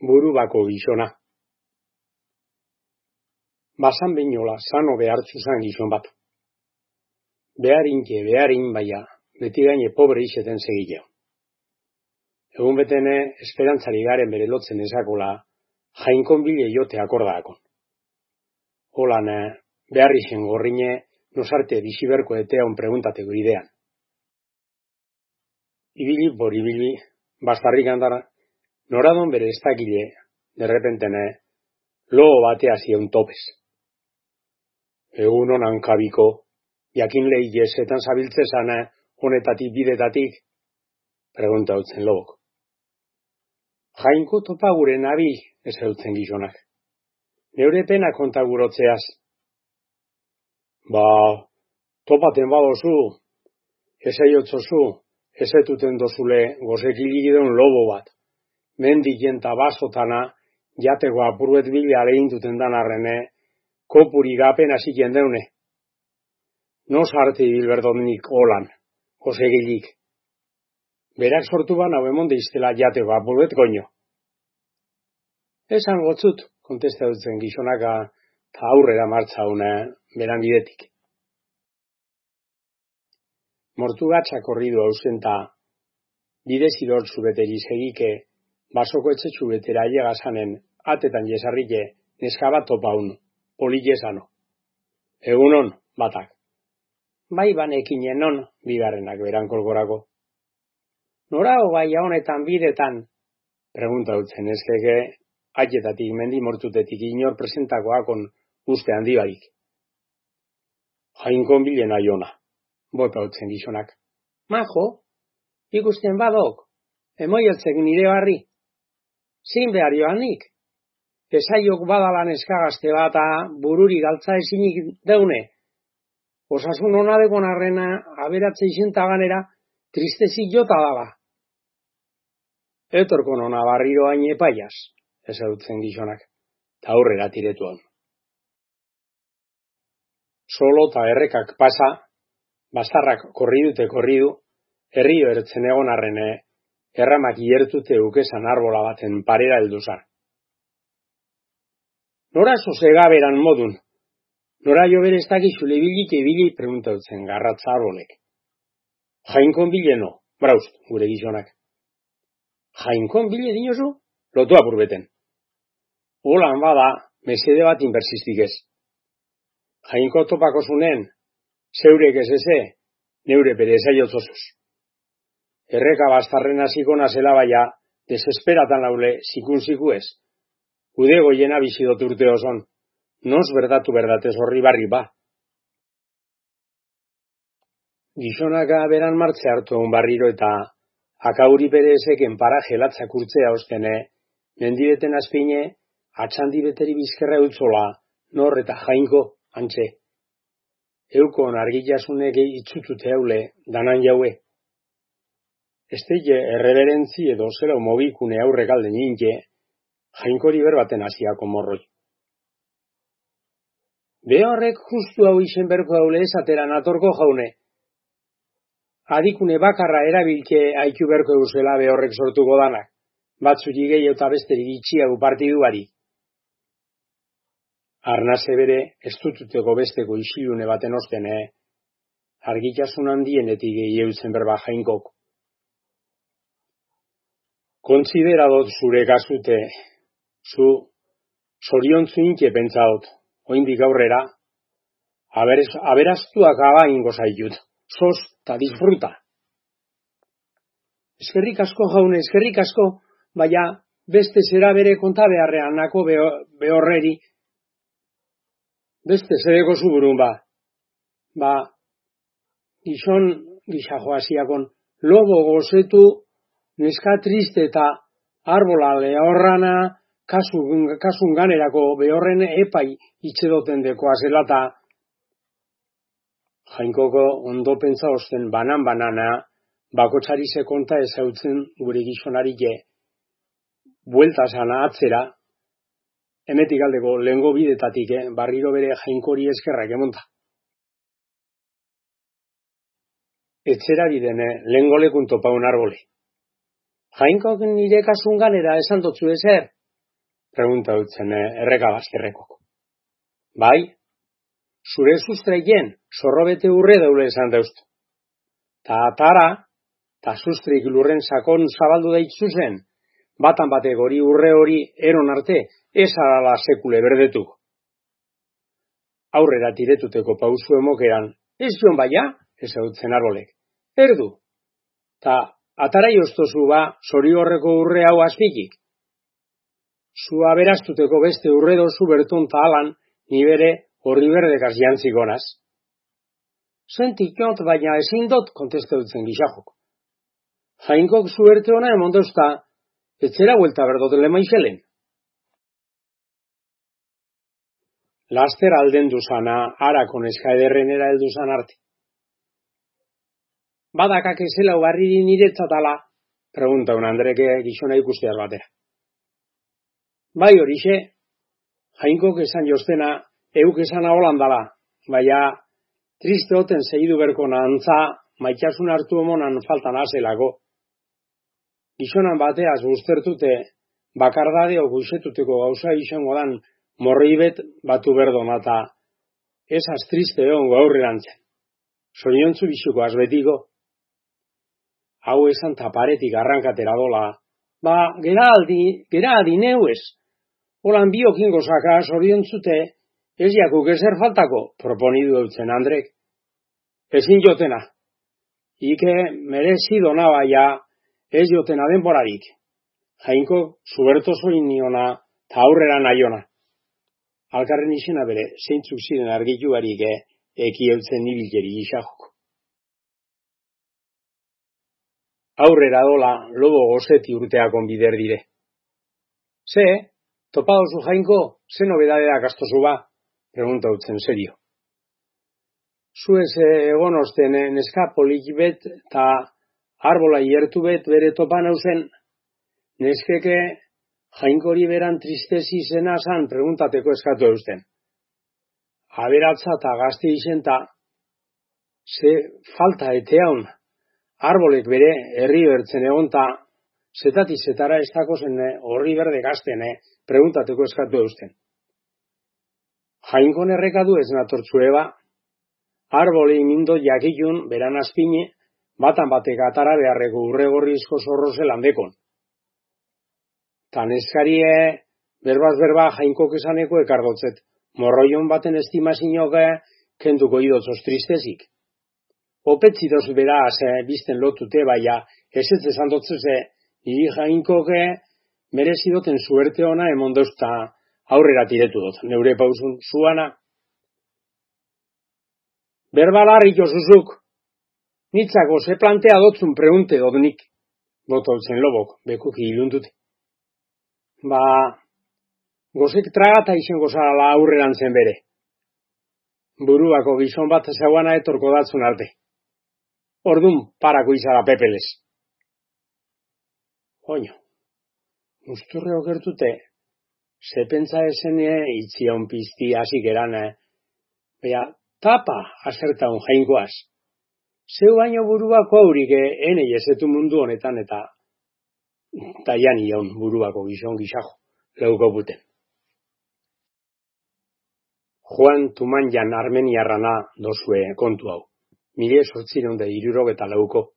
burubako gizona. Basan behinola sano behartzu zan gizon bat. Beharin baia, beti gaine pobre izeten segileo. Egun betene esperantzari garen bere lotzen ezakola, jainkon bile jote akordaakon. Holan, behar izen gorrine, nosarte biziberko etean preguntateko idean. Ibili, bastarrik andara, noradon bere estakile, derrepentene, logo batea zion topez. Egun honan kabiko, jakin lehi jesetan zabiltzezana, honetatik bidetatik, pregunta utzen logok. Jainko topa gure nabil, ez eutzen gizonak. Neure pena konta gurotzeaz. Ba, topaten badozu, ez aiotzozu, ez etuten dozule gozekiligideun lobo bat. Mendiken tabazotana, jateko apuruet bila lehintuten danarrene, kopuri gapen hasiken deune. No sarti bilberdonik holan, gozekilik. Berak sortu ban hau emonde iztela jateko apuruet goño. Esan gotzut, kontesta dutzen gizonaka, ta aurrera martza una beran bidetik. Mortu gatzak horridu ausenta, bide zirortzu beteri segike, basoko etxetxu betera llegasanen, atetan jesarrike, neskabat topaun, polilesano. Egunon, batak. Bai banekin enon, bigarrenak beran kolgorako. Nora hogaia honetan bidetan, pregunta dutzen ezkeke, aietatik mendi mortutetik inor presentakoakon uste handi barik. Jainkon bilen aiona, bota utzen gizonak. Majo, ikusten badok, emoiotzek nire barri. Zein behar joanik? Esaiok badalan eskagazte bata bururi galtza ezinik deune. Osasun honadekon arrena aberatze izentaganera tristezi jota daba. Etorkon hona barriro hain epaiaz, ez dutzen gizonak, ta aurrera tiretuan. Solo ta errekak pasa, bastarrak korridu, herrio ertzen egon arrene, erramak iertute ukesan arbola baten parera helduzar. Nora sosega beran modun, nora jo bere ez dakizule ibili pregunta dutzen garratza arbolek. Jainkon bileno, braust, gure gizonak. Jainkon bile dinozu, lotu apurbeten. Holan bada, mesede bat inbersistik ez. Jainko topako zunen, zeurek ez eze, neure bere ezaiotzozus. Erreka bastarren hasiko nazela baia, desesperatan laule, zikun ez. Ude goiena bizidot urte oson, nos berdatez horri barri ba. Gizonaka beran martze hartu egun barriro eta akauri bere ezeken paraje latzak urtzea ostene, mendibeten azpine, atxandi beteri bizkerra eutzola, nor eta jainko, antxe. Eukon argillasunek itzutute haule, danan jaue. Esteie erreberentzi edo zela mobikune aurrek alde ninke, jainkori berbaten hasiako morroi. Behorrek justu hau izen berko haule esateran atorko jaune. Adikune bakarra erabilke haiku berko eusela behorrek sortuko danak, batzuri gehiago eta besterik itxiago partiduari. Arnase bere, ez dututeko besteko isilune baten ostene, argitasun handienetik gehiago zen berba jainkok. Kontsideradot zure kasute, zu zoriontzu inke pentsaot, oindik aurrera, aberaztuak aba ingo zaitut, sos ta disfruta. Eskerrik asko jaune, eskerrik asko, baina beste zera bere konta beharrean nako behorreri, beste zereko zuburun ba. Ba, gizon gizajoasiakon, lobo gozetu, neska triste eta arbola lehorrana, kasun ganerako behorren epai itxedoten dekoa zelata. Jainkoko ondo pentsa osten banana, bakotxari konta ezautzen gure gizonarike, bueltasana atzera, emetik aldeko lehengo bidetatik, barriro bere jainkori eskerrak emonta. Etxera bidene, lehengo lekun topaun arbole. Jainkok nire kasun ganera esan dotzu ezer, pregunta utzen erreka bazterrekok. Bai, zure sustreien zorrobete urre daule esan dauztu. Ta atara, ta sustrik lurren sakon zabaldu daitzuzen, batan batek hori urre hori eron arte, ez arala sekule berdetuk. Aurrera tiretuteko pausu emokeran, ez joan baia, ez hautzen arbolek. Erdu, ta atarai oztozu ba, zori horreko urre hau azpikik. Zua beraztuteko beste urre dozu berton ta alan, nibere horri berdekaz jantzikonaz. Zentik jont, baina ezin dot, kontesta dutzen gixajok. Jainkok zuerte ona emondozta, etzera huelta berdoten lemaizelen. Laster alden duzana, harakon eskaederrenera elduzan arte. Badakak ezela ubarriri niretzatala, pregunta un Andreke gizona ikusteaz batera. Bai horixe, Jainkok esan jostena, euk esan aholandala, baina triste oten segidu berkona antza, maitasun hartu omonan faltan azelako. Gizonan bateaz guztertute, bakardadeo guizetuteko gauza izango dan, morribet batu berdona eta esaz triste ongo aurrerantzen. Soñontzu bizuko azbetiko. Hau esan taparetik arrankatera dola. Ba, gera adi neuez. Holan biokin gozaka zoriontzute, ez jakuk ezer faltako, proponidu eutzen Andrek. Ezin jotena. Ike merezido nabaia, ez jotena denborarik. Jainko zuberto zoin niona, ta aurrera naiona. Alkarren izena bere, zeintzuk ziren argituarik eki eutzen nibilkeri gixajok. Aurrera dola, lobo gozeti urteakon bider dire. Ze, topadozu Jainko, ze nobedadea gastozu ba? Pregunta utzen serio. Zuez egon osten neska polik bet, ta arbola hiertu bet bere topan hauzen, neskeke Jainkori beran tristezi zena zan preguntateko eskatu eusten. Aberatza eta gazte izenta, ze falta eteaun, arbolek bere herri bertzen egonta, zetati zetara ez dako zen horri berde gazten preguntateko eskatu eusten. Jainkon errekadu ez natortzu eba, arboli mindo jakitun beran azpine, batan batek atara beharreko urregorrizko zorrozel handekon. Tan eskarie, berbaz berba Jainkok esaneko ekargotzet, morroion baten estimazinoke kenduko idotzoz tristezik. Opetzidoz beraz bizten lotute baia, ez esan dotzeze, niri Jainkoke merezidoten suerte ona emondozta aurrera tiretu dut, neure pausun zuana. Berbalarrik osuzuk, nitzako ze plantea dotzun pregunte dodnik, bototzen lobok, bekuki ilundute. Ba, gozek tragata izango zarala aurreran zen bere. Buruako gizon bat zauana etorko datzun arte. Ordun parako izara pepeles. Oino, usturre okertute, ze pentsa esene itzion pizti hasik eran, bea tapa asertaun Jainkoaz. Zeu baino buruako aurik ene jesetu mundu honetan eta taian ion buruako gizon gizajo, leuko buten. Juan Tumanjan armeniarrana dozue kontu hau. 1864